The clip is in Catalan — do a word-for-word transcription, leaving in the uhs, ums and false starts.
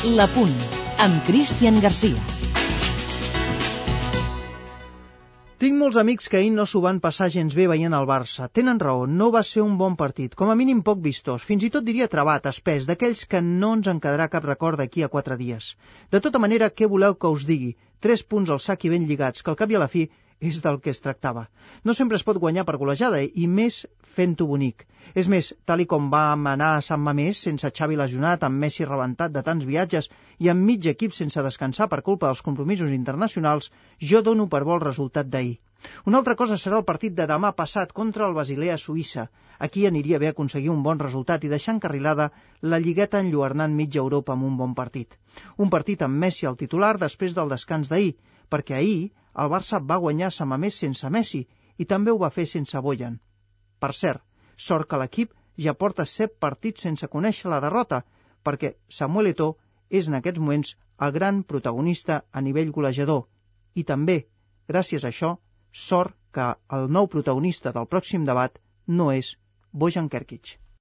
La Punt, amb Cristian Garcia. Tinc molts amics que ahir no s'ho van passar gens bé veient el Barça. Tenen raó, no va ser un bon partit, com a mínim poc vistós, fins i tot diria trabat, espès, d'aquells que no ens en quedarà cap record d'aquí a quatre dies. De tota manera, què voleu que us digui? Tres punts al sac i ben lligats, que al cap i a la fi és del que es tractava. No sempre es pot guanyar per golejada, i més fent-ho bonic. És més, tal i com vam anar a Sant Mamés, sense Xavi lesionat, amb Messi rebentat de tants viatges i amb mig equip sense descansar per culpa dels compromisos internacionals, jo dono per bo el resultat d'ahir. Una altra cosa serà el partit de demà passat contra el Basilea Suïssa. Aquí aniria bé aconseguir un bon resultat i deixar encarrilada la lligueta enlluernant mitja Europa amb un bon partit. Un partit amb Messi al titular després del descans d'ahir, perquè ahir el Barça va guanyar Sant Mamés sense Messi i també ho va fer sense Bojan. Per cert, sort que l'equip ja porta set partits sense conèixer la derrota, perquè Samuel Eto'o és en aquests moments el gran protagonista a nivell golejador. I també, gràcies a això, sort que el nou protagonista del pròxim debat no és Bojan Kerkic.